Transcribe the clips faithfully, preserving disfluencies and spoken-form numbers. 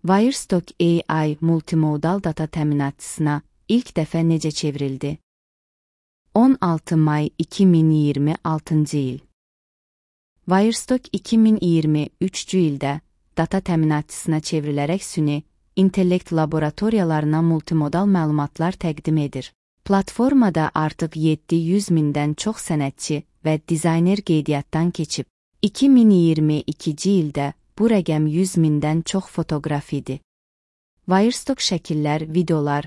Wirestock A I multimodal data təminatçısına ilk dəfə necə çevrildi? on altı may iki min iyirmi altıncı il. Wirestock iki min iyirmi üçüncü ildə data təminatçısına çevrilərək süni intellekt laboratoriyalarına multimodal məlumatlar təqdim edir. Platformada artıq yeddi yüz mindən çox sənətçi və dizayner qeydiyyatdan keçib. iki min iyirmi ikinci ildə bu rəqəm yüz mindən çox fotoqraf idi. Wirestock şəkillər, videolar,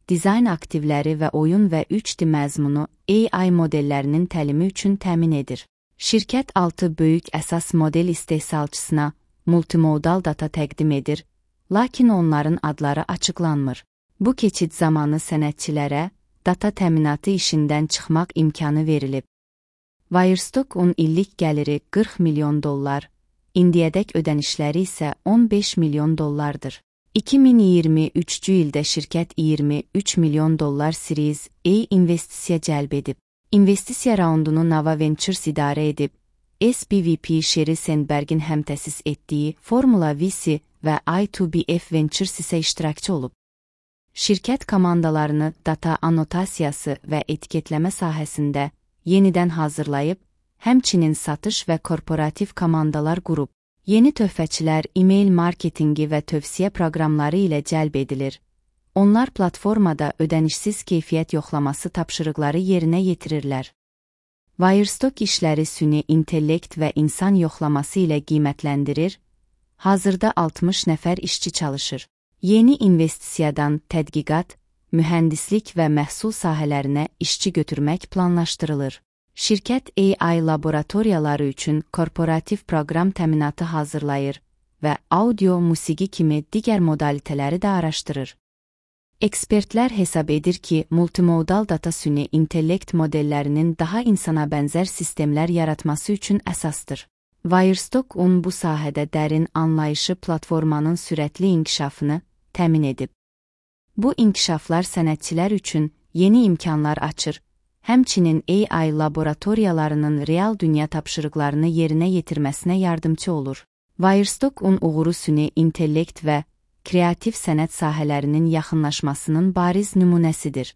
dizayn aktivləri və oyun və üç D məzmunu A I modellərinin təlimi üçün təmin edir. Şirkət altı böyük əsas model istehsalçısına multimodal data təqdim edir, lakin onların adları açıqlanmır. Bu keçid zamanı sənətçilərə data təminatı işindən çıxmaq imkanı verilib. Wirestock-un illik gəliri qırx milyon dollar, indiyədək ödənişləri isə on beş milyon dollardır. iki min iyirmi üçüncü ildə şirkət iyirmi üç milyon dollar Series A investisiya cəlb edib. İnvestisiya raundunu Nava Ventures idarə edib, S B V P Sherry Sandberg'in həmtəsis etdiyi Formula V C və I iki B F Ventures isə iştirakçı olub. Şirkət komandalarını data anotasiyası və etiketləmə sahəsində yenidən hazırlayıb, həmçinin satış və korporativ komandalar qurub. Yeni töhfəçilər e-mail marketingi və tövsiyə proqramları ilə cəlb edilir. Onlar platformada ödənişsiz keyfiyyət yoxlaması tapşırıqları yerinə yetirirlər. Wirestock işləri süni intellekt və insan yoxlaması ilə qiymətləndirir. Hazırda altmış nəfər işçi çalışır. Yeni investisiyadan tədqiqat, mühəndislik və məhsul sahələrinə işçi götürmək planlaşdırılır. Şirkət A I laboratoriyaları üçün korporativ proqram təminatı hazırlayır və audio, musiqi kimi digər modalitələri də araşdırır. Ekspertlər hesab edir ki, multimodal data süni intellekt modellərinin daha insana bənzər sistemlər yaratması üçün əsasdır. Wirestock-un bu sahədə dərin anlayışı platformanın sürətli inkişafını təmin edib. Bu inkişaflar sənətçilər üçün yeni imkanlar açır, həmçinin A I laboratoriyalarının real dünya tapşırıqlarını yerinə yetirməsinə yardımcı olur. Wirestock-un uğuru süni intellekt və kreativ sənət sahələrinin yaxınlaşmasının bariz nümunəsidir.